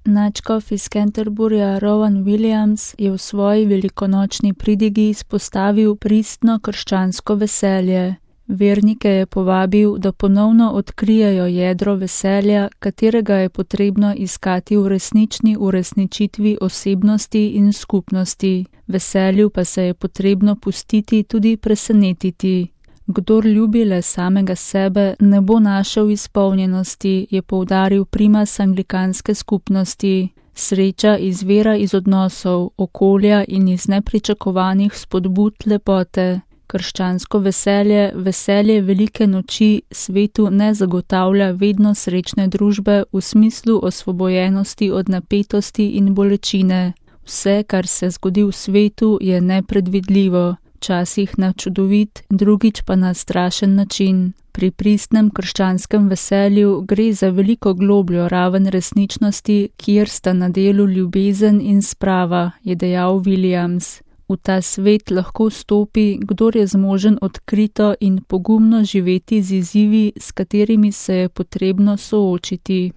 Nadškof iz Canterburyja Rowan Williams je v svoji velikonočni pridigi izpostavil pristno krščansko veselje. Vernike je povabil, da ponovno odkrijejo jedro veselja, katerega je potrebno iskati v resnični uresničitvi osebnosti in skupnosti. Veselju pa se je potrebno pustiti tudi presenetiti. Kdor ljubi le samega sebe, ne bo našel izpolnjenosti, je poudaril primas anglikanske skupnosti. Sreča izvira iz odnosov, okolja in iz nepričakovanih spodbud lepote. Krščansko veselje, veselje velike noči, svetu ne zagotavlja vedno srečne družbe v smislu osvobojenosti od napetosti in bolečine. Vse, kar se zgodi v svetu, je nepredvidljivo. Včasih na čudovit, drugič pa na strašen način. Pri pristnem krščanskem veselju gre za veliko globljo raven resničnosti, kjer sta na delu ljubezen in sprava, je dejal Williams. V ta svet lahko stopi, kdor je zmožen odkrito in pogumno živeti z izzivi, s katerimi se je potrebno soočiti.